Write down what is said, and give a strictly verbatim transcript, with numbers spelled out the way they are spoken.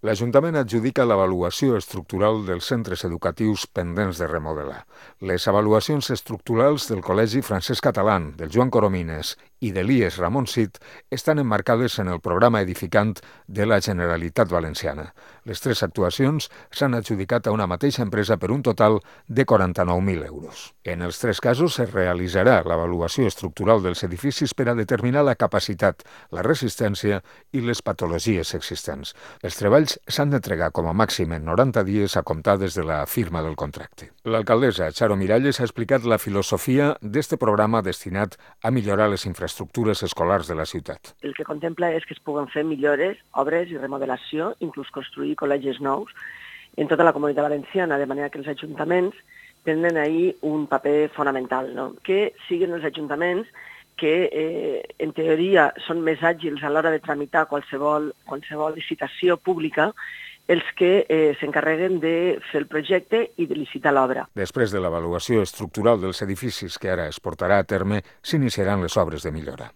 L'Ajuntament adjudica l'avaluació estructural dels centres educatius pendents de remodelar. Les avaluacions estructurals del Col·legi Francesc Catalán, del Joan Coromines i de l'I E S Ramon Cid estan emmarcades en el programa edificant de la Generalitat Valenciana. Les tres actuacions s'han adjudicat a una mateixa empresa per un total de quaranta-nou mil euros. En els tres casos es realitzarà l'avaluació estructural dels edificis per a determinar la capacitat, la resistència i les patologies existents. Els treballs s'han d'entregar com a màxim en noranta dies a comptar des de la firma del contracte. L'alcaldessa Charo Miralles ha explicat la filosofia d'este programa destinat a millorar les infraestructures escolars de la ciutat. El que contempla és que es puguen fer millores, obres i remodelació, inclús construir col·legis nous en tota la comunitat valenciana, de manera que els ajuntaments tenen ahí un paper fonamental, no? Que siguin els ajuntaments que eh, en teoria són més àgils a l'hora de tramitar qualsevol, qualsevol licitació pública, els que eh, s'encarreguen de fer el projecte i de licitar l'obra. Després de l'avaluació estructural dels edificis que ara es portarà a terme, s'iniciaran les obres de millora.